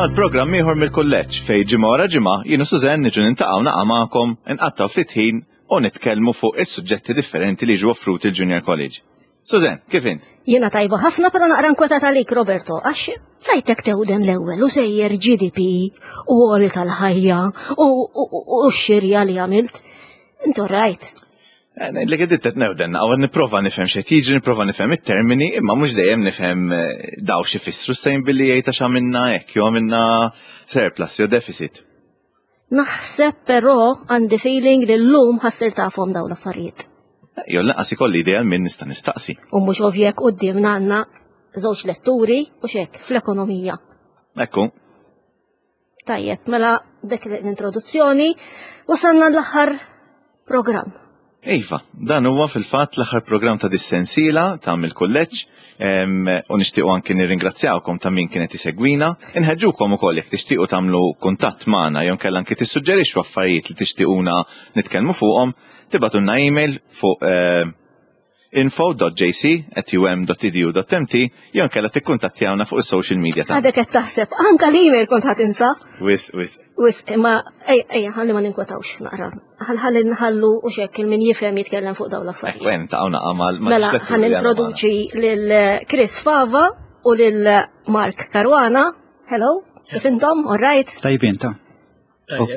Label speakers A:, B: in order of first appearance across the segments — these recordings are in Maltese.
A: għal programm ieħor mill-kulleġġ fejn ġimgħa wara ġimgħa jien u Sużanne niġu nintaqgħu naqa' magħkom, inqattgħu ftit ħin u nitkellmu fuq is-suġġetti differenti li jiġu offruti l-Junior College. Sużanne, kif int?
B: Jiena tajba ħafna però naqra nkwetata għalik Roberto għax rajtek tewden l-ewwel u sejjer GDP u għoli tal-ħajja u x-xirja li għamilt. Intu rajt.
A: Eh, ngħidlek id qed newden, għaw nipprova nifhem x'qed jiġri, nipprova nifhem it-termini, imma mhux dejjem nifhem eh, daw xi fissru sejn billi jgħid għax għamilna hekk, jew għamilna surplus jew deficit.
B: Naħseb però għandi feeling li llum ħassir tafhom dawn l-affarijiet.
A: Eh, jew lanqas ikolli idea minn nista' nistaqsi.
B: U mhux ovvjek quddiemna għandna żewġ letturi u xek fl-ekonomija.
A: Ekku.
B: Tajjeb, mela dek l-introduzzjoni, wasalna l-aħħar programm.
A: Iva, dan huwa fil-fatt l-aħħar programm ta' dis-sensiela ta' mill-kulleġġ u nixtiequ anki nirringrazzjawkom ta' min kienet isegwina. Inħeġġukom ukoll jekk tixtiequ tagħmlu kuntatt magħna jew nkella anki tissuġġerixxu affarijiet li tixtiequna nitkellmu fuqhom, tibgħatulna email fuq eh, info.jc@um.edu.mt jew inkella tikkuntattjawna fuq is-social media
B: tagħna. Għadek qed taħseb, anka l-email kont ħadd insa.
A: Wis, wis.
B: Wis, imma ejja, ejja, ħalli ma ninkwetawx naqra. Ħalli nħallu u xekk il-min jifhem jitkellem fuq dawn l-affarijiet.
A: Ekku, ta' naqa' mal
B: Mela, ħan introduċi lil Chris Fava u lil Mark Caruana. Hello, kif intom? All right?
C: Tajbin ta'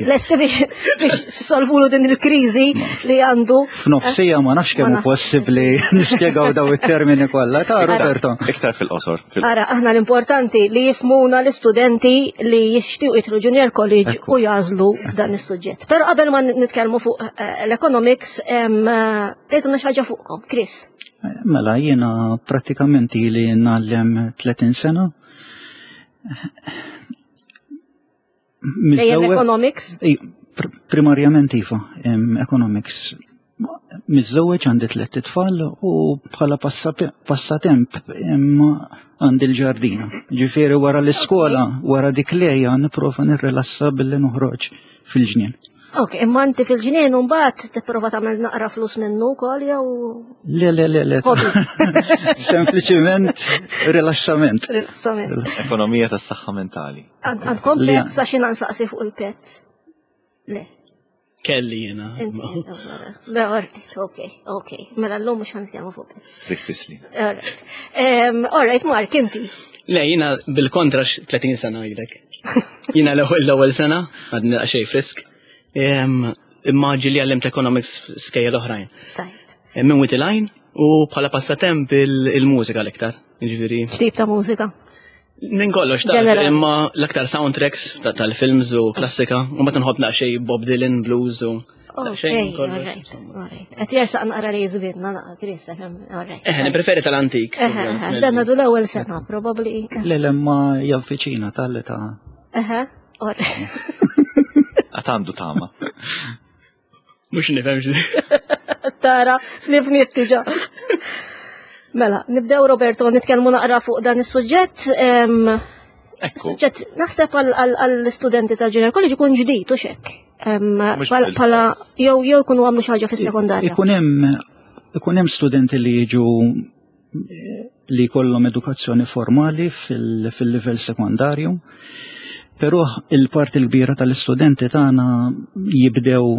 B: Lesti biex solvulu din il-kriżi li għandu.
C: F'nofsija ma nafx kemm possibbli nispjegaw daw it-termini kollha ta' Roberto.
A: Iktar fil-qosor.
B: Ara, aħna l-importanti li jifmuna l-istudenti li jixtiequ jidħlu Junior College u jażlu dan is-suġġett. Però qabel ma nitkellmu fuq eh, l-economics, eh, tgħidulna xi ħaġa fuqkom, Chris.
C: Mela jiena prattikament ili ngħallem 30 sena.
B: Dejjem economics?
C: Primarjament iva, economics. Miżżewweġ għandi tlett itfal u bħala passatemp imma għandi l-ġardina. Ġifieri wara l-iskola, wara dik lejja nipprova nirrilassa billi noħroġ fil-ġnien.
B: Ok, imma inti fil-ġnien u mbagħad tipprova tagħmel naqra flus minnu wkoll jew
C: Le, le, le, le. Sempliċiment rilassament.
B: Rilassament.
A: Ekonomija tas-saħħa mentali.
B: Għandkom pets għax jiena nsaqsi fuq il-pets. Le.
D: Kelli jiena.
B: Le, alright, ok, ok. Mela l-lum mux ħanitkellmu fuq pets.
A: Trifisli.
B: Alright. Alright, Mark, inti.
D: Le, jiena bil-kontra 30 sena għidek. Jiena l-ewwel sena, għadni xej frisk. Imma ġili għallimt economics skejjel oħrajn. Minn Witty Line u bħala passatemp il-mużika l-iktar. Ġifieri.
B: X'tip ta' mużika?
D: Minn kollox, ta' imma l-aktar soundtracks tal-films u klassika, u ma tinħobb naqxej Bob Dylan, blues u
B: xejn kollox. Qed jersaq naqra li jiżbidna naqra Chris, alright.
D: Eh, nippreferi tal-antik.
B: Dan għadu l-ewwel sena, probabbli.
C: Le, le, ma javviċina tal-età.
B: Eħe, alright.
A: Għad għandu tama.
D: Mux nifhem xi.
B: Tara, li fniet diġà. Mela, nibdew Roberto, nitkellmu naqra fuq dan is-suġġett. Suġġett, naħseb għall-istudenti tal-Junior College ikun ġdid u xekk. Pala jew jew ikunu għamlu xi ħaġa fis-sekondarja.
C: Ikun hemm ikun hemm studenti li jiġu li jkollhom edukazzjoni formali fil-livell sekondarju, però il-parti l-kbira tal-istudenti tagħna jibdew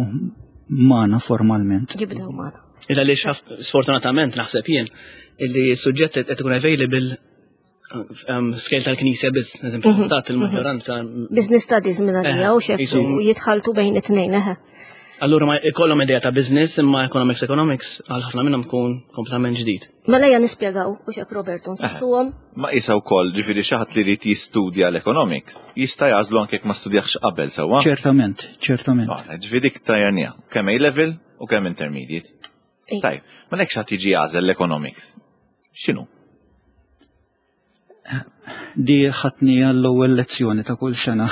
C: magħna formalment.
B: Jibdew magħna.
D: Illa li sfortunatament naħseb jien illi suġġett qed ikun available um, scale tal-knisja biss, eżempju, mhm. stat il-maġġoranza.
B: Business studies minn għalija u xek u jitħaltu bejn it-tnejn, eħe.
D: Allura ma ikollhom idea ta' business imma economics economics għal ħafna minnhom tkun kompletament ġdid.
B: Mela ejja nispjegaw u xek Roberto nsaqsuhom.
A: Ma isa wkoll ġifieri xi ħadd li jrid jistudja l-economics jista' jagħżlu anke jekk ma studjax qabel sewwa.
C: Ċertament, ċertament.
A: Ġifieri dik tajjanija, kemm A level u kemm intermediate. Tajb, ma lek xi jiġi jagħżel l-economics. X'inhu?
C: Di ħatni għall-ewwel lezzjoni ta' kull sena.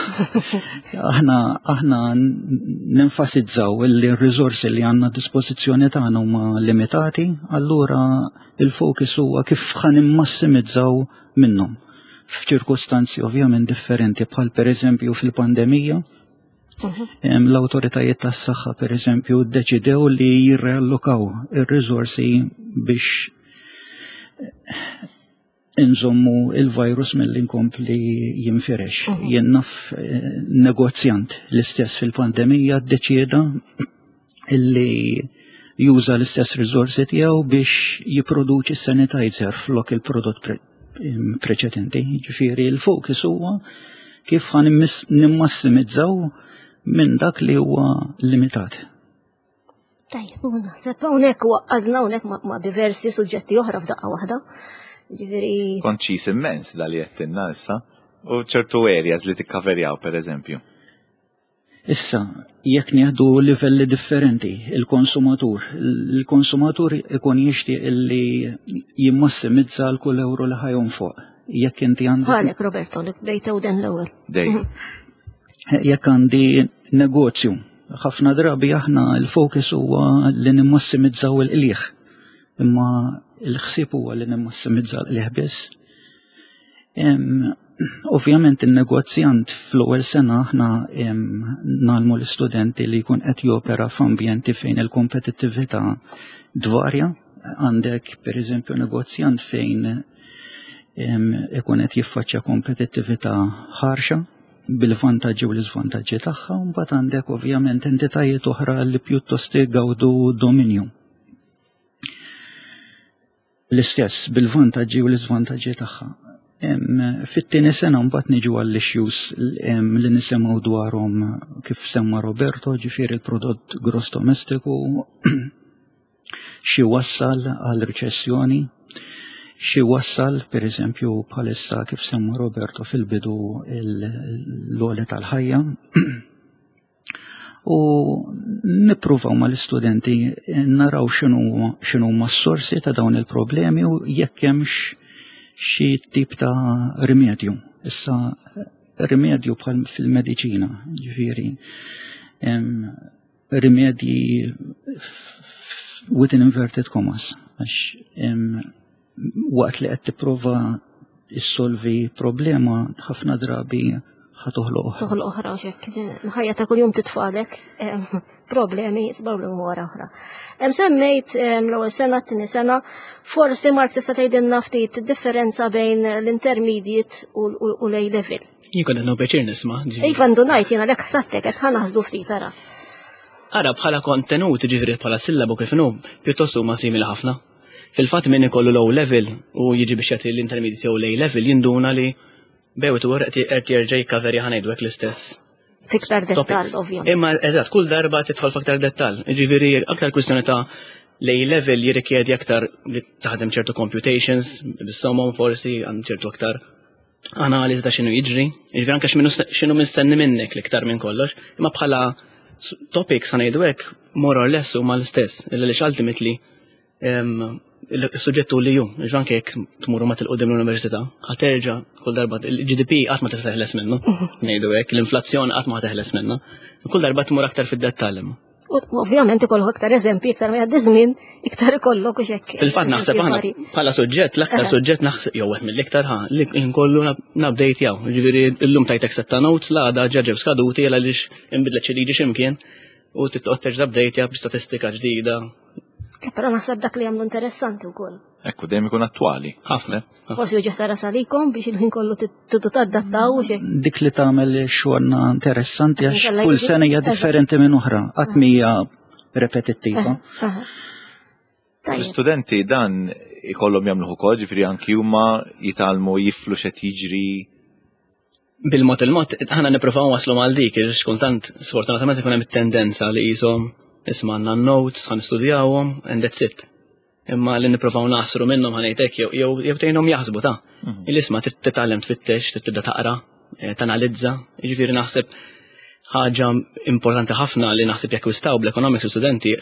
C: Aħna aħna nenfasizzaw li r-riżorsi li għandna dispożizzjoni tagħna huma limitati, allura il-fokus huwa kif ħan immassimizzaw minnhom f'ċirkustanzi ovvjament differenti bħal pereżempju fil-pandemija. Mhm. L-awtoritajiet tas-saħħa pereżempju ddeċidew li jirreallokaw ir-riżorsi biex. inżommu il-virus mill inkompli jinfirex. Jien naf eh, negozjant l-istess fil-pandemija ddeċieda illi juża l-istess riżorsi tiegħu biex jipproduċi sanitizer flok il-prodott pre preċedenti. Ġifieri l-fokus huwa kif ħan nimmassimizzaw minn dak li huwa limitat.
B: Tajjeb, u naħseb hawnhekk waqqadna hawnhekk ma' diversi suġġetti oħra f'daqqa waħda. Ġifieri.
A: Konċis immens dal li qed issa. U ċertu areas li tikkaverjaw pereżempju.
C: Issa, jekk nieħdu livelli differenti, il-konsumatur, il-konsumatur ikun jixtieq illi jimmassimizza l kull euro li ħajjon fuq. Jekk inti għandek.
B: Għalek, Roberto, li bdejt den l-ewwel.
A: Dej.
C: Jekk għandi negozju, ħafna drabi aħna l-fokus huwa li nimmassimizzaw il-qliħ. Imma l-ħsieb huwa li nimmassimizza l-qliħ biss. Ovvjament in-negozjant fl-ewwel sena aħna nagħlmu l-istudenti li jkun qed jopera f'ambjenti fejn il-kompetittività dvarja. Għandek pereżempju negozjant fejn ikun qed jiffaċċja kompetittività ħarxa bil-vantaġġi u l-iżvantaġġi tagħha, u mbagħad għandek ovvjament entitajiet oħra li pjuttost igawdu dominju. L-istess bil-vantaġġi u l-iżvantaġġi tagħha. Fit-tieni sena mbagħad niġu għall-issues li nisimgħu dwarhom kif semma Roberto, ġifieri l-prodott gross domestiku, xi wassal għal riċessjoni, xi wassal pereżempju bħalissa kif semma Roberto fil-bidu l-għoli tal-ħajja. U nippruvaw mal-istudenti naraw x'inhuma s-sorsi ta' dawn il-problemi u jekk hemmx xi tip ta' rimedju. Issa rimedju bħal fil-mediċina, ġifieri rimedji within inverted commas, għax waqt li qed tipprova issolvi problema ħafna drabi ħa toħloq oħra.
B: Toħloq oħra xek. Ħajja ta' kuljum titfalek problemi, problemi wara oħra. Hemm semmejt l-ewwel sena, t-tieni sena, forsi Mark tista' tgħidilna ftit differenza bejn l-intermediate u l-A level.
D: Jien kont qed pjaċir nisma'.
B: Iva ndunajt jiena lek ħsattek qed ħanaħsdu ftit ara.
D: Ara bħala kontenut, ġifieri bħala sillabu kif inhu, pjuttost huma simili ħafna. Fil-fatt min ikollu l-O level u jiġi biex jagħti l-intermediate jew l-A level jinduna li bewt u qed jerġa' jikkaverja ħa ngħidu hekk l-istess.
B: Fiktar dettall, ovvjament.
D: Imma eżatt, kull darba tidħol f'aktar dettall. Ġifieri aktar kwistjoni ta' l-A level jirrikjedi aktar li taħdem ċertu computations, bis-somom forsi, għand ċertu aktar analiż ta' x'inhu jiġri, jiġifieri anke x'inhu mistenni minnek l-iktar minn kollox, imma bħala topics ħa ngħidu hekk more or less huma l-istess, illa li ultimately il-suġġett li ju, jiġifieri anke jekk tmuru ma tilqudiem l-università, ħa terġa' kull darba il-GDP qatt ma tista' teħles minnu, ngħidu hekk, l-inflazzjoni qatt ma teħles minnu. Kull darba tmur aktar fid-dettall imma.
B: U ovvjament ikollok aktar eżempji, iktar ma jgħaddi żmien, iktar ikollok u xekk.
D: Fil-fatt naħseb aħna bħala suġġett, l-aktar suġġett naħseb jew wieħed mill-iktar ħa li nkollu nabdejt jaw. Ġifieri llum tajtek setta notes l-għada ġaġew skaduti għaliex inbidlet xi liġi x'imkien u titqgħod terġa' update b'statistika ġdida.
B: Però naħseb dak li jagħmlu interessanti wkoll.
A: Ekku, dejjem ikun attwali.
D: Ħafna.
B: Forsi uġieħ ta' ras għalikom biex il-ħin kollu tidu tadattaw u xejn.
C: Dik li tagħmel xogħolna interessanti għax kull sena hija differenti minn oħra, qatt mhija repetittiva.
A: L-istudenti dan ikollhom jagħmluh ukoll, ġifieri anki huma jitgħallmu jiflu x'qed jiġri
D: bil-mod il-mod, ħana niprofaw waslu mal dik, għax kultant sfortunatament ikun hemm it-tendenza li qishom isma' għandna notes, ħan nistudjawhom, and that's it. Imma li niprofaw nasru minnhom ħanejtek jew jew tgħinhom jaħsbu ta' mhm. Il-isma trid titgħallem tfittex, trid tibda taqra, eh, tanalizza, jiġifieri naħseb ħaġa importanti ħafna li naħseb jakkwistaw bl-economics studenti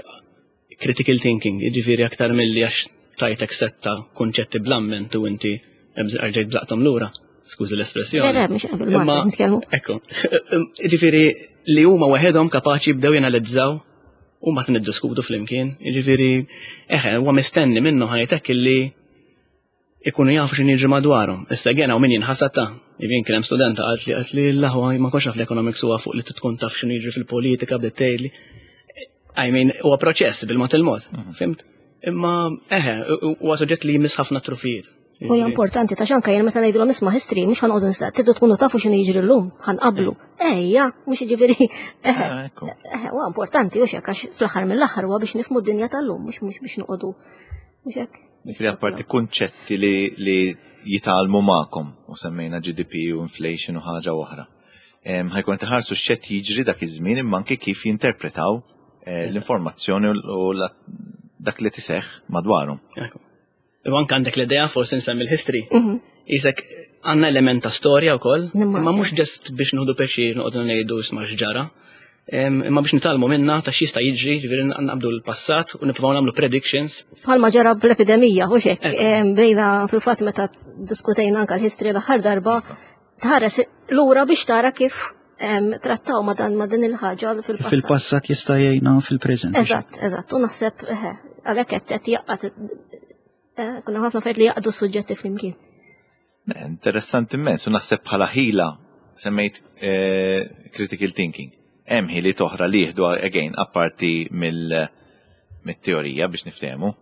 D: critical thinking, jiġifieri aktar milli għax tajtek setta kunċetti bl-amment u inti rġajt bżaqtom lura. Skużi l-espressjoni.
B: Le, mhux nitkellmu.
D: Ekku. Jiġifieri li huma waħedhom kapaċi jibdew janalizzaw u mbagħad niddiskutu flimkien. Jiġifieri eħe, huwa mistenni minnu ħajtek illi ikunu jafu x'inhu jiġri madwarhom. Issa again hawn min jinħasad ta' jien kien hemm studenta qalt li qalt li l-aħwa ma kontx naf l-economics huwa fuq li tkun taf x'inhu jiġri fil-politika bdiet tgħidli. I mean, huwa proċess bil-mod il-mod, mhm. fimt? Imma eħe, huwa suġġett li jmiss ħafna trufijiet.
B: U hija importanti ta' xanka jien meta ngħidulhom isma' history mhux ħanqogħdu nistaq, tridu tkunu tafu x'inhu jiġri llum, ħanqablu. Ejja, mhux jiġifieri. Ah, huwa importanti u xek għax fl-aħħar mill-aħħar huwa biex nifhmu d-dinja tal-lum, mhux mhux biex noqogħdu mhux
A: hekk. Jiġifieri apparti kunċetti li li jitgħallmu magħkom u semmejna GDP u inflation u ħaġa oħra. Ħajkun tħarsu x'qed jiġri dak iż-żmien imma anke kif jinterpretaw eh, l-informazzjoni u dak li tiseħħ madwarhom.
D: U anke għandek l-idea forsi nsemmi l-history. Mhm. Isek għandna element ta' storja wkoll, imma mhux ġest biex nieħdu pjaċir noqogħdu ngħidu isma' x'ġara. Imma biex nitalmu minna ta' x'jista' jiġri, ġifieri naqbdu l-passat u nippruvaw nagħmlu predictions.
B: Bħalma ġara bl-epidemija, hux hekk. Bejna fil-fatt meta diskutejna anke l-history l-aħħar darba, tħares lura biex tara kif trattaw ma dan ma din il-ħaġa fil-passat.
C: Fil-passat jista' jgħinna fil-preżent.
B: Eżatt, eżatt, u naħseb għalhekk qed qed jaqgħad eh, kunna ħafna affarijiet li jaqdu suġġetti flimkien.
A: Interessanti immens, u naħseb bħala ħila semmejt eh, critical thinking. Hemm ħiliet oħra li jieħdu again apparti mill-teorija biex niftehmu.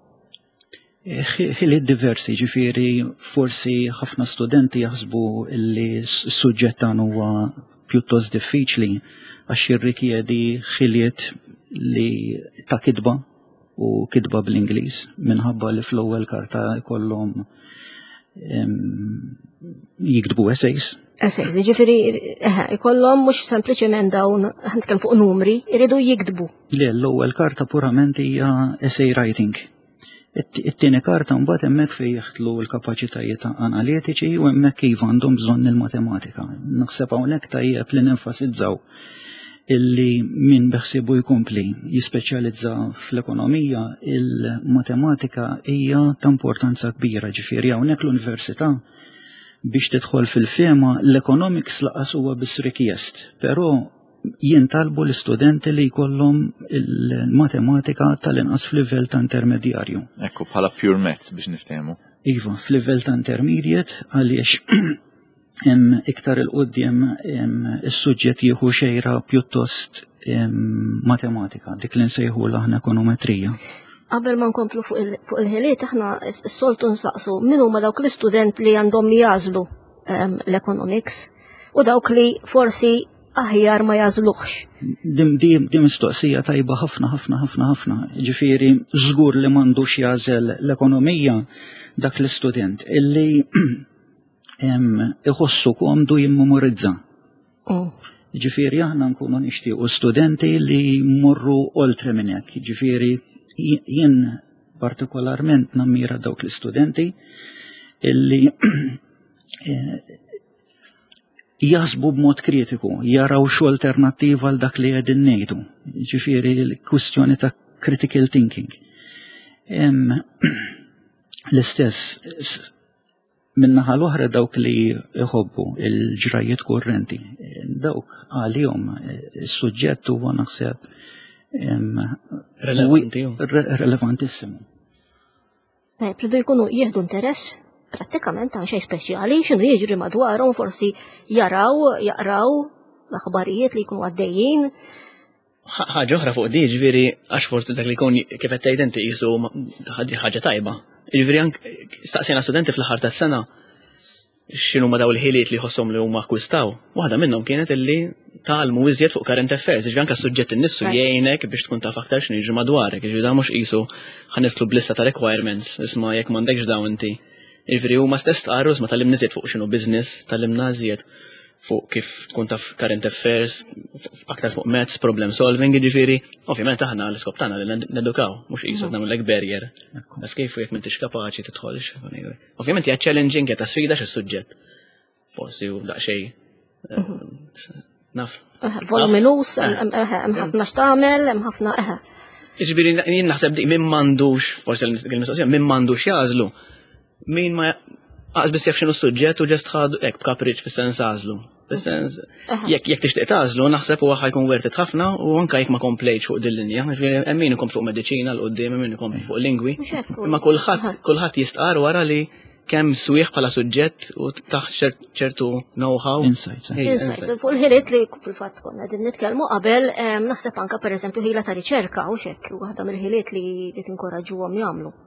C: Ħiliet diversi, ġifieri forsi ħafna studenti jaħsbu li s-suġġett tagħna huwa pjuttost diffiċli għax jirrikjedi ħiliet li ta' kitba u kitba bl-Ingliż minħabba li fl-ewwel karta jkollhom jiktbu essays.
B: Essays, ġifieri ikollhom mhux sempliċement dawn nitkellem fuq numri, iridu jiktbu.
C: Le, l-ewwel karta purament hija essay writing. It-tieni karta mbagħad hemmhekk fejn jeħtlu l-kapaċitajiet analitiċi u hemmhekk iva għandhom bżonn il-matematika. Naħseb hawnhekk tajjeb li nenfasizzaw illi min beħsibu jkompli jispeċjalizza fl-ekonomija, il-matematika hija ta' importanza kbira ġifieri hawnhekk l-università biex tidħol fil-fema l-economics laqas huwa biss rikjest, però jintalbu l-istudenti li jkollhom il-matematika tal-inqas f'livell ta' intermedjarju.
A: Ekku, bħala pure maths biex niftehmu.
C: Iva, f'livell ta' intermediate għaliex iktar il-qoddim is-suġġett jieħu xejra pjuttost matematika, dik li nsejħu l-aħna ekonometrija.
B: Qabel ma nkomplu fuq il-ħiliet, aħna s-soltu nsaqsu min huma dawk l-istudent li għandhom jażlu l-economics u dawk li forsi aħjar ma jażluhx.
C: Dim dim dim mistoqsija tajba ħafna ħafna ħafna ħafna. Ġifieri żgur li m'għandux jażel l-ekonomija dak l-istudent illi iħossu komdu jimmemorizza. Oh. Ġifieri aħna nkunu nixtiequ studenti li jmorru oltre minn hekk. Ġifieri jien partikolarment nammira dawk l-istudenti illi eh, jaħsbu b'mod kritiku, jaraw xu alternattiva għal dak li qegħdin ngħidu. Ġifieri l-kwistjoni ta' critical thinking. L-istess minnaħa l-oħra dawk li jħobbu il-ġrajiet kurrenti, dawk għalihom is-suġġett huwa naħseb relevantissimu.
B: Tajjeb, ridu jkunu jieħdu interess prattikament ta' xejn speċjali, x'inhu jiġri madwarhom, forsi jaraw, jaqraw l-aħbarijiet li jkunu għaddejjin.
D: Ħaġa oħra fuq di, ġifieri għax forsi dak li jkun kif qed tgħid inti qisu ħaġa tajba. Ġifieri anke staqsejna studenti fl-aħħar tas-sena x'inhuma daw il-ħiliet li jħosshom li huma akkwistaw. Waħda minnhom kienet illi tgħallmu iżjed fuq current affairs, ġifieri anke s-suġġett innifsu jgħinek biex tkun taf aktar x'inhu jiġri madwarek, ġifieri dan mhux qisu ħa nidħlu b'lista ta' requirements, isma' jekk m'għandekx dawn inti. Ġifieri huma stess stqarru isma' tgħallimna iżjed fuq x'inhu business, tgħallimna iżjed fuq kif tkun taf current affairs, aktar fuq maths, problem solving, ġifieri, ovvjament aħna l-iskop tagħna li nedukaw, mhux qisu nagħmlek barrier. Taf kif u jekk m'intix kapaċi tidħolx. Ovvjament hija challenging, hija ta' sfida x'is-suġġett. Forsi hu daqsxejn eh, mhm. naf.
B: Voluminus, eh. hemm ħafna x'tagħmel, hemm ħafna eħe.
D: Jiġifieri jien naħseb dik min m'għandux, forsi l-mistoqsija, min m'għandux jażlu, min ma għaz biss jaf x'inhu s-suġġett u ġest ħadu hekk b'kapriċ fis-sens għażlu. Fis-sens jekk jekk tixtieq tagħżlu naħseb huwa ħajkun worth it ħafna u anke jekk ma komplejtx fuq din linja, ġifieri hemm min ikompli fuq mediċina l quddiem hemm min ikompli fuq lingwi. Imma kulħadd kulħadd jistqar wara li kemm swieħ bħala suġġett u taħt ċertu know-how.
C: Insights.
B: Eh. Insights. Fuq il-ħiliet li fil-fatt konna din nitkellmu qabel, naħseb anka pereżempju ħila ta' riċerka u xekk waħda mill-ħiliet li tinkoraġġuhom jagħmlu.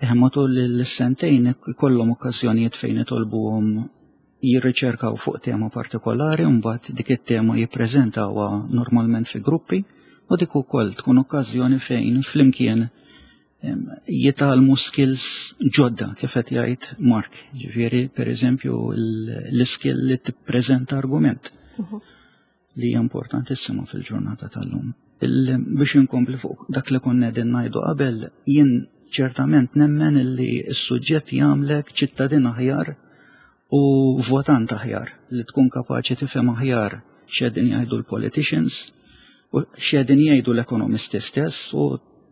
C: Eh, matul l-sentejn ikollhom okkażjonijiet fejn itolbuhom jirriċerkaw fuq tema partikolari u mbagħad dik it-tema jippreżentawha normalment fi gruppi u dik ukoll tkun okkażjoni fejn flimkien jitgħallmu skills ġodda kif qed jgħid Mark. Ġifieri pereżempju l-iskill li tippreżenta argument mhm. li hija importantissima fil-ġurnata tal-lum. Biex inkompli fuq dak li konna qegħdin ngħidu qabel, jien ċertament nemmen li s-suġġett jagħmlek ċittadin aħjar u votant aħjar li tkun kapaċi tifhem aħjar x'qegħdin jgħidu l-politicians u x'qegħdin jgħidu l-ekonomisti stess u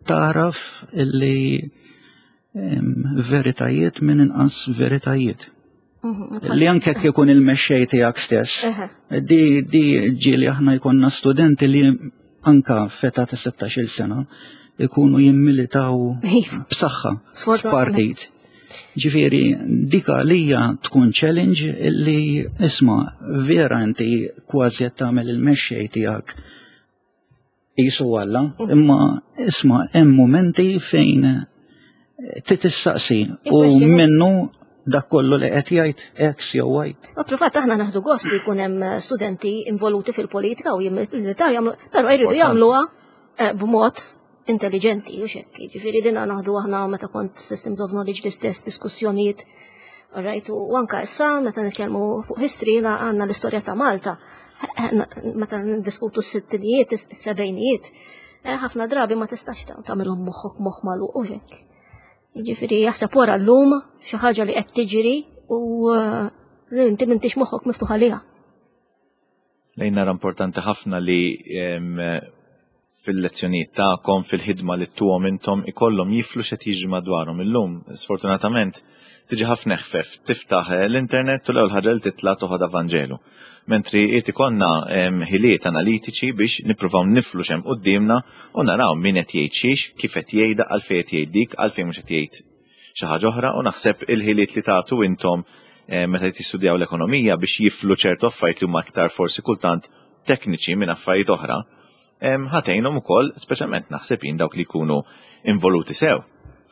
C: taraf illi veritajiet minn inqas veritajiet. Mhm. Li anke jekk ikun il-mexxej tiegħek stess. Di di ġieli aħna jkollna studenti li anka feta ta' 16-il sena ikunu jimmilitaw iva. b'saħħa f'partit. Ġifieri dik għalija tkun challenge li isma' vera inti kważi qed tagħmel il-mexxej tiegħek qisu Alla, imma isma' hemm mumenti fejn titissaqsi u minnu dak kollu li qed jgħid X jew Y.
B: U fil-fatt aħna naħdu gost li jkun hemm studenti involuti fil-politika u jimmilitaw jagħmlu, però jridu jagħmluha eh, b'mod intelligenti u xekk. Ġifieri dina naħdu aħna meta kont Systems of Knowledge l-istess diskussjonijiet. Right, u anka issa meta nitkellmu fuq history għandna l-istorja ta' Malta. Meta ndiskutu s-sittinijiet, s-sebejnijiet, eh, ħafna drabi ma tistax tagħmilhom moħħok moħħ magħluq u hekk. Jiġifieri jaħseb wara llum xi ħaġa li qed tiġri u eh, li inti m'intix moħħok miftuħ għaliha.
A: Lejn nara importanti ħafna li fil-lezzjonijiet tagħkom, fil-ħidma li ttuhom intom ikollhom jiflu x'qed jiġri madwarhom illum. Sfortunatament tiġi ħafna eħfef tiftaħ eh, l-internet u l-ewwel ħaġa li titla' toħodha Vanġelu. Mentri qed ikollna ħiliet analitiċi biex nippruvaw niflu x'hemm quddiemna u naraw min qed jgħid xiex, kif qed jgħidha, għalfejn qed jgħid dik, għalfejn mhux qed jgħid xi ħaġa oħra u naħseb il-ħiliet li tagħtu intom eh, meta tistudjaw l-ekonomija biex jiflu ċertu affarijiet li huma aktar forsi kultant tekniċi minn affarijiet oħra, ħatejnhom ukoll speċjalment naħseb jien dawk li jkunu involuti sew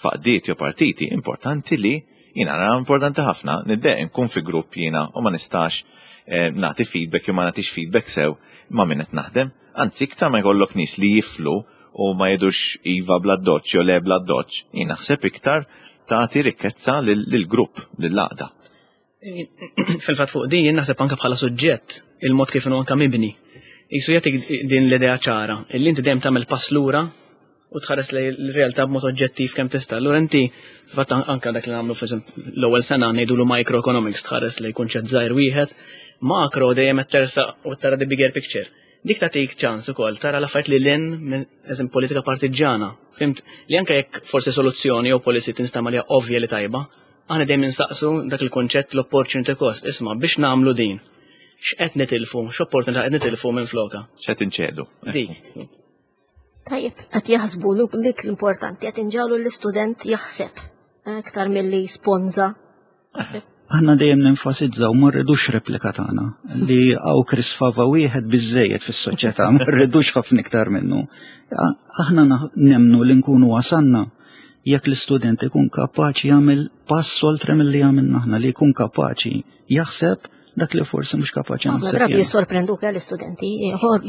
A: faqdiet jew partiti importanti li jiena nara importanti ħafna niddeq nkun fi grupp jiena u ma nistax eh, nagħti feedback jew ma nagħtix feedback sew ma' min qed naħdem. Anzi, iktar ma jkollok nies li jiflu u ma jgħidux iva bla doċ jew le bla doċ, jien naħseb iktar tagħti rikkezza lill-grupp, lill-għaqda.
D: Fil-fatt fuq din jien naħseb anke bħala suġġett il-mod kif inhu anke mibni. Jisu jagħtik din l-idea ċara, illi inti dejjem tagħmel pass lura u tħares lejn l-realtà b'mod oġġettiv kemm tista'. Allura inti fatt anke dak li nagħmlu l-ewwel sena ngħidulu microeconomics tħares lejn kunċett żgħir wieħed, makro dejjem qed tersaq u tara the bigger picture. Dik tagħtik ċans ukoll tara l-affarijiet li lin minn eżem politika partiġġana. Fimt li anke jekk forsi soluzzjoni jew policy tinstama li ovvja li tajba, aħna dejjem insaqsu dak il-kunċett l-opportunity cost, isma' biex nagħmlu din. X'qed nitilfu, x'opportunità qed nitilfu minn floka.
A: X'qed inċedu.
D: Dik.
B: Tajjeb, qed jaħsbu dik l-importanti, qed inġalu l-istudent jaħseb aktar milli sponza.
C: Aħna dejjem nenfasizzaw ma rridux replika tagħna li hawn Chris Fava wieħed biżejjed fis-soċjetà, ma rridux ħafna iktar minnu. Aħna nemnu li nkunu wasanna jekk l-istudent ikun kapaċi jagħmel pass oltre milli għamilna aħna li jkun kapaċi jaħseb dak li forsi mhux kapaċi
B: naħseb. Drabi jissorprenduk eh, l-istudenti,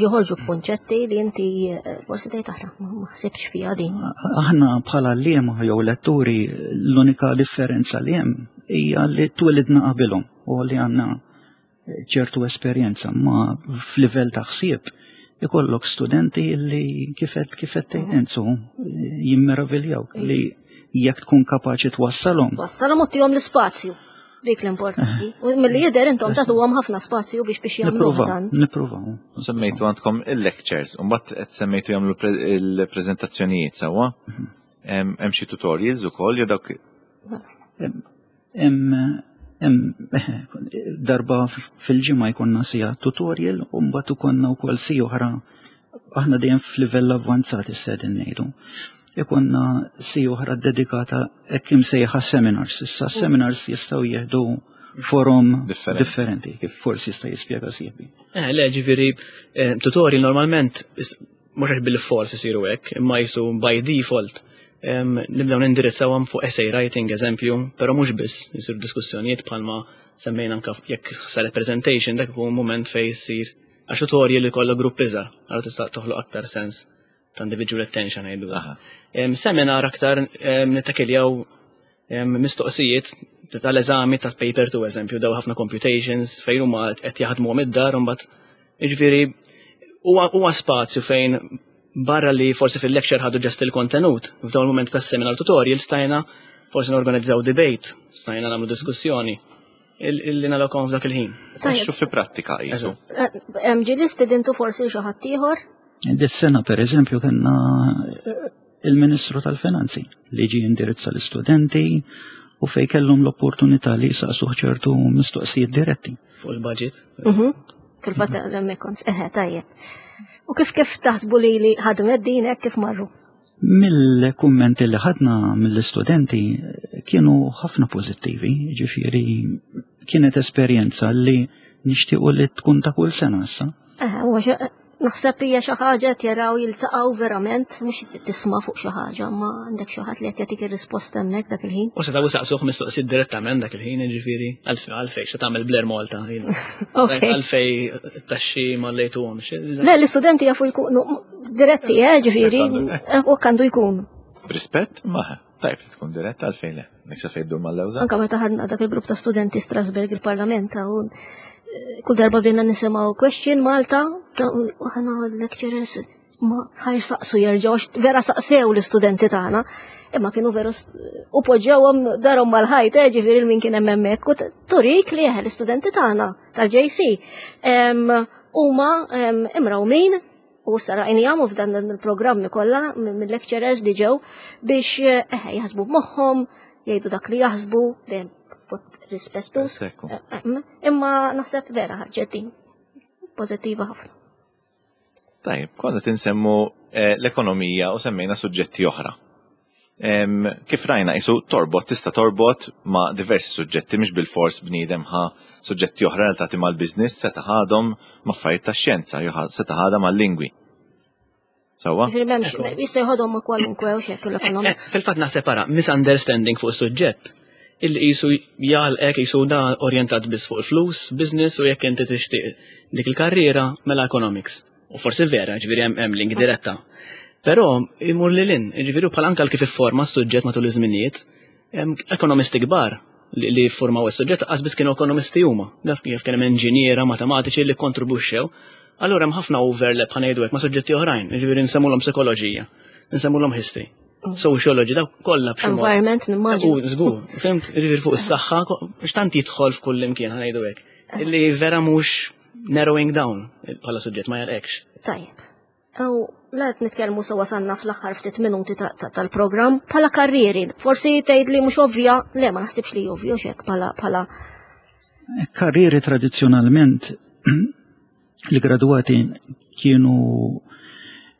B: joħorġu b'kunċetti li inti eh, forsi tgħid aħna ma ħsibx fiha din.
C: Aħna bħala liema jew letturi l-unika differenza li hemm hija li twilidna qabilhom u li għandna eh, ċertu esperjenza ma f'livell ta' ħsieb ikollok studenti li kifet kifet tgħid Enzu jimmeraviljawk li jekk tkun kapaċi twassalhom.
B: Twassalhom u tihom l-ispazju. Dik l-importanti. U milli jidher intom tagħtuhom ħafna spazju biex biex jagħmlu dan.
C: Nippruvaw.
A: Semmejtu għandkom il-lectures, u mbagħad qed semmejtu jagħmlu il-preżentazzjonijiet sewwa. Mhm. Hemm xi tutorials ukoll jew dawk
C: Hemm darba fil-ġimgħa jkollna sija tutorial u mbagħad ikollna wkoll si oħra aħna dejjem f'livell avvanzat issa qegħdin ngħidu. Ikonna si oħra dedikata hekk imsejħa seminars. Issa seminars jistgħu jieħdu forum differenti, kif forsi jista' jispjega sieħbi.
D: Eh, le, ġifieri, eh, tutorial normalment mhux għax bil-fors isiru hekk, imma jisu by default. Nibdew nindirizzawhom fuq essay writing, eżempju, però mhux biss, jisiru diskussjonijiet bħalma semmejna anke jekk saret presentation, dak ikun mument fejn jsir għax tutorial li kollha grupp iżgħar, allura tista' toħloq aktar sens ta' individual attention ngħidu. Seminar aktar nittakiljaw mistoqsijiet tal-eżami ta' paper 2 eżempju, daw ħafna computations fejn huma qed jaħdmu id-dar u mbagħad jiġifieri huwa spazju fejn barra li forsi fil-lecture ħadu ġest il-kontenut, f'dawn il-moment tas-seminar tutorial stajna forsi norganizzaw debate, stajna nagħmlu diskussjoni illi nagħlqhom f'dak il-ħin.
A: Tajjeb. fi prattika qisu.
B: Hemm ġieli stidintu forsi xi ħadd ieħor?
C: Dis-sena pereżempju kellna il-Ministru tal-Finanzi li ġie indirizza l-istudenti u fej kellhom l-opportunità li jsaqsuh ċertu mistoqsijiet diretti.
D: Fuq il-budget.
B: Fil-fatt hemmhekk kont, eħe, tajjeb. U kif kif taħsbu li li ħadmet din hekk kif marru?
C: Mill-kummenti li ħadna mill-istudenti kienu ħafna pożittivi, ġifieri kienet esperjenza li nixtiequ li tkun ta' kull sena issa.
B: Eħe, huwa Naħseb hija xi ħaġa qed jaraw jiltaqgħu verament mhux tisma' fuq xi ħaġa, ma għandek xi ħadd li qed jagħtik ir-risposta hemmhekk dak il-ħin.
D: U setgħu saqsuh mistoqsijiet direttament dak il-ħin, jiġifieri għalfejn x'ta tagħmel Blair Malta. Għalfejn taxxi ma lejtuhomx.
B: Le, l-istudenti jafu jkunu diretti, eh, ġifieri, u għandu jkun.
A: B'rispett, ma tajb li tkun diretta għalfejn le. Nek sa fejn dur mal-lewża.
B: Anka meta ħadna dak il-grupp ta' studenti Strasberg il-Parlament u eh, kull darba bdejna nisimgħu question Malta u ħana lecturers ma ħaj saqsu jerġgħu vera saqsew l-istudenti tagħna. Imma kienu veru u poġġewhom darhom mal-ħajt, eh, ġifieri min kien hemm hemmhekk u turik li eh, l-istudenti tagħna tal-JC huma imrawmin U issa rajnihom u f'dan il-programmi kollha mill-lecturers li ġew biex eh, jaħsbu b'moħħhom, jgħidu dak li jaħsbu, dejjem b'mod rispettuż. Eh, eh, imma naħseb vera ħarġet din pożittiva ħafna.
A: Tajjeb, konna tinsemmu l-ekonomija u semmejna suġġetti oħra. Kif rajna isu torbot, tista' torbot ma' diversi suġġetti mhix bilfors bniedem ħa suġġetti oħra relatati mal-business seta' ħadhom ma' affarijiet tax-xjenza jew seta' ħadha mal-lingwi. Sewwa?
B: Jista' jħodhom ma' kwalunkwe u xekk l-economics.
D: Eh, fil-fatt naħseb ara, misunderstanding fuq is-suġġett illi qisu jgħalqek qisu da orjentat biss fuq il-flus, business u jekk inti tixtieq dik il-karriera mela economics. U forsi vera, ġifieri hemm link diretta. Però imur lil hinn, ġifieri bħal anke kif ifforma s-suġġett matul iż-żminijiet, ekonomisti kbar li ffurmaw is-suġġett qas biss kienu ekonomisti huma. Daf kif kien hemm inġiniera, matematiċi li kontribwixxew. Allura hemm ħafna overlap ħa ngħidu hekk ma' suġġetti oħrajn, ġifieri nsemmulhom psikoloġija, nsemmulhom history, sociology, dawk kollha
B: b'xi Environment nimmaġina.
D: U żgur, fhimt, ġifieri fuq is-saħħa, x'tant jidħol f'kull imkien ħa ngħidu hekk. Illi vera mhux narrowing down bħala suġġett ma jalqekx.
B: Tajjeb. U la qed nitkellmu sewa wasalna fl-aħħar ftit minuti tal-programm bħala karrieri. Forsi tgħid li mhux ovvja, le ma naħsibx li ovvju xek bħala bħala
C: Karrieri tradizzjonalment li graduati kienu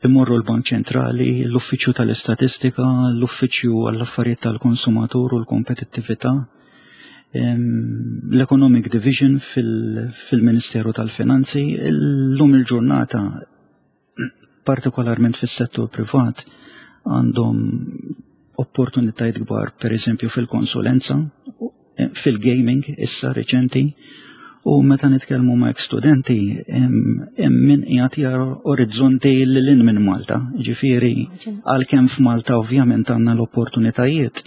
C: imorru l-Bank Ċentrali, l-Uffiċċju tal-Istatistika, l-Uffiċċju għall-Affarijiet tal-Konsumatur u l-Kompetittività, l-Economic Division fil-Ministeru tal-Finanzi, l-lum il-ġurnata, partikolarment fis-settur privat, għandhom opportunitajiet kbar, per eżempju fil-konsulenza, fil-gaming issa reċenti, u meta nitkellmu ma' studenti hemm min qiegħed jara orizzonti lil hinn minn Malta. Ġifieri għalkemm f'Malta ovvjament għandna l-opportunitajiet,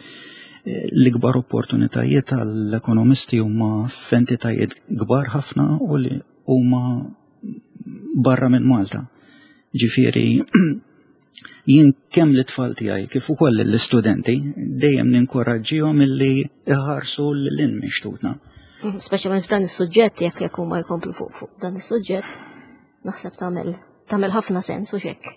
C: l-ikbar opportunitajiet għall-ekonomisti huma f'entitajiet kbar ħafna u li huma barra minn Malta. Ġifieri jien kemm l-tfal tiegħi kif ukoll l-istudenti dejjem ninkoraġġihom illi iħarsu lil hinn minn xtutna.
B: Mhm, speċjalment f'dan is-suġġett jekk jekk huma jkomplu fuq fuq dan is-suġġett, naħseb tagħmel tagħmel ħafna sens u xekk.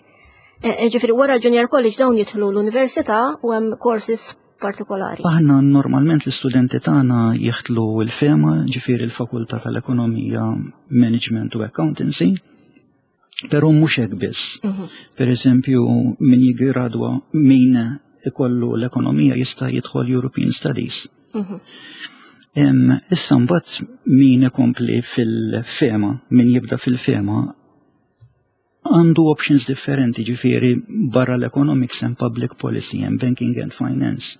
B: E, e, ġifieri wara Junior College dawn jidħlu l-università u hemm courses partikolari.
C: Aħna normalment l-istudenti tagħna jieħdlu l-FEMA, ġifieri l-Fakultà tal-Ekonomija, Management u Accountancy, Però mhux hekk biss. Mhm. Per eżempju, min jigradwa min ikollu l-ekonomija jista' jidħol European Studies. Mhm. Issa mbagħad min ikompli fil-fema, min jibda fil-fema, Għandu options differenti ġifieri barra l-economics and public policy and banking and finance,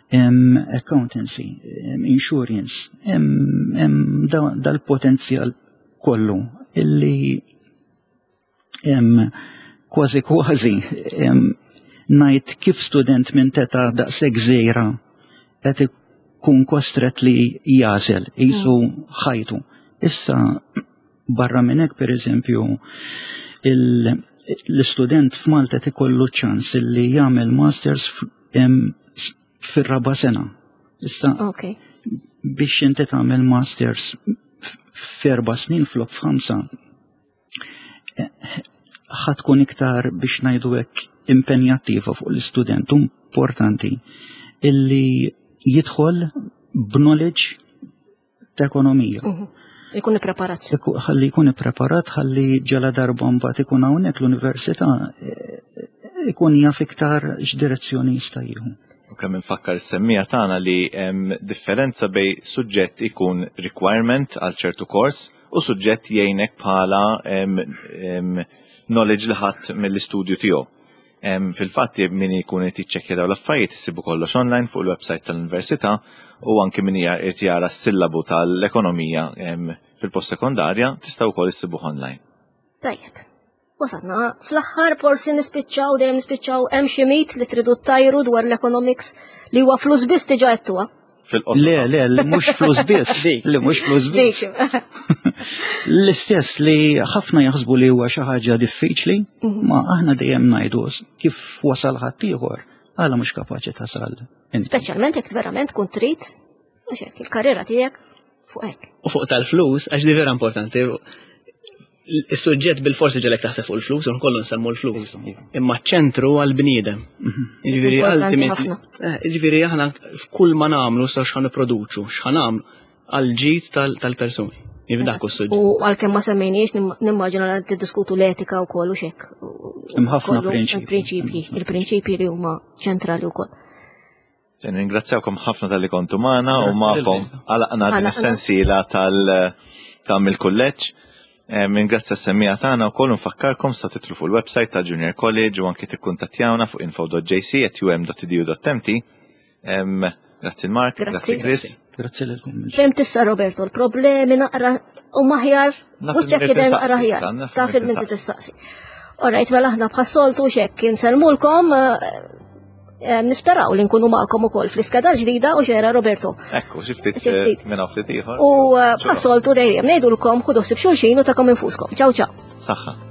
C: hemm accountancy, hemm insurance, hemm dal-potenzjal kollu illi hemm kważi kważi ngħid kif student minn teta daqshekk żgħira qed ikun kostret li jażel qisu ħajtu. Issa Barra minn hekk, pereżempju, l-istudent f'Malta qed ikollu ċans li jagħmel masters fir-raba' sena. Issa okay. biex inti tagħmel masters f'erba' snin flok f'ħamsa, eh, ħatkun iktar biex ngħidu hekk impenjattiva fuq l-istudent importanti illi jidħol b'knowledge ta' ekonomija. Mhm.
B: Ikun ippreparat.
C: Ħalli jkun ippreparat, ħalli ġala darba mbagħad ikun hawnhekk l-università eh, ikun jaf iktar x'direzzjoni jista' jieħu.
A: U kemm infakkar is-semmija tagħna li hemm differenza bej suġġett ikun requirement għal ċertu kors u suġġett jgħinek bħala knowledge li ħadd mill-istudju tiegħu. Fil-fatt min ikun qed jiċċekkja dawn l-affarijiet issibu kollox online fuq il-website tal-Università u anki min qed jara s-sillabu tal-ekonomija fil-post sekondarja tistgħu wkoll issibuh online.
B: Tajjeb. Wasalna fl-aħħar forsi nispiċċaw dejjem nispiċċaw hemm xi mit li tridu ttajru dwar l-economics li huwa flus biss diġà għedtuha.
C: Fil-qosor. Le, le, li mhux flus biss. Li mhux flus biss. L-istess li ħafna jaħsbu li huwa xi ħaġa diffiċli, mhm. ma aħna dejjem ngħidu kif wasal ħaddieħor, għala mhux kapaċi tasal.
B: Speċjalment jekk verament tkun trid, mhux hekk il-karriera tiegħek fuq hekk.
D: U fuq tal-flus, għax li vera importanti, Is-suġġett bil-forsi ġelek taħseb fuq il-flus, u kollu nsemmu l-flus. Iva, iva. Imma ċentru għal-bniedem. Mhm. Ġifieri ultimately, eh, ġifieri aħna f'kull ma nagħmlu sa x'ħan nipproduċu, x'ħan nagħmlu għal-ġid tal-persuni. Ġifieri dak
B: is-suġġett. U għalkemm ma semmejniex nimmaġina li tiddiskutu l-etika wkoll u xek.
C: Hemm ħafna prinċipji.
B: Il-prinċipji li huma ċentrali wkoll.
A: Ringrazzjawkom ħafna tal-li kontu magħna u magħkom għalaqna din is-sensiela tal ta' mill-kulleġġ. Ringrazzja s-semmija tagħna wkoll nfakkarkom sa titlu fuq il-website ta' Junior College u anki tikkuntattjawna fuq info.jc@um.edu.mt. Grazzi Mark, grazzi Chris.
C: Grazzi lilkom.
B: Fem tista' Roberto l-problemi naqra u maħjar u ċekki dejjem naqra ħjar. Taf il minti tistaqsi. Alright, mela aħna bħas-soltu xekk insellmulkom eh, eh, nisperaw li nkunu magħkom ukoll fl-iskeda ġdida u xera Roberto.
A: Ekku, xi ftit eh, minn ftit ieħor.
B: U bħas-soltu dejjem ngħidulkom ħudu ħsieb xulxin u takom infuskom. Ciao ciao.
A: Saħħa.